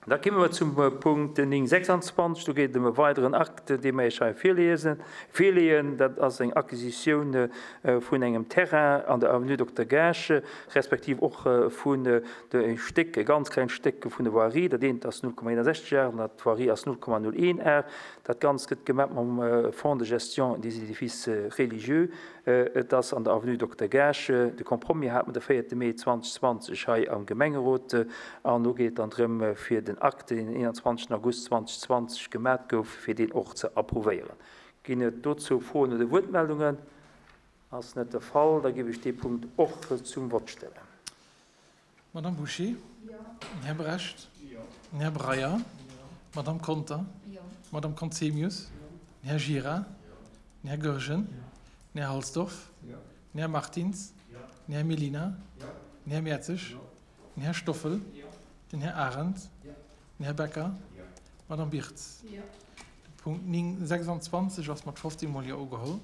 Da komme mer zum Punkt 9,26. Do geet et ëm e weideren Akt, dee mer Iech hei virliesen, virleeën. Dat ass eng Acquisitioun vun engem Terrain an der Avenue Dokter Gaasch, respektiv och vun e Stéck, e ganz klengt Stéck vun der Voirie. Dat eent ass 0,61 Ar an dat Voirie ass 0,01 Ar. Dat Ganzt gëtt gemaach mam Fonds de gestion des édifices religieux. Et ass an der Avenue Dokter Gaasch. De Compromis hat mer de véierte Mee 2020 hei am Gemengerot. An elo geet et dann drëm, fir den Akt, deen den 21 August 2020 gemat gouf, fir deen och ze approuvéieren. Ginn et dozou Froen oder Wuertmeldungen? Ass net de Fall. Da géif ech dee Punkt och zum Vott stellen. Madame Bouché? Den Här Brecht? Den Här Breyer? D'Madame Conter? D'Madame Conzemius? Den Här Gira? Den Här Goergen? Den Här Halsdorf? Den Här Martins? Den Här Mellina? Den Här Mertzig? Den Här Stoffel? Den Här Arendt? Den Här Becker? D'Madame Birtz? De Punkt 9, 26 ass mat 15 mol Jo ugeholl.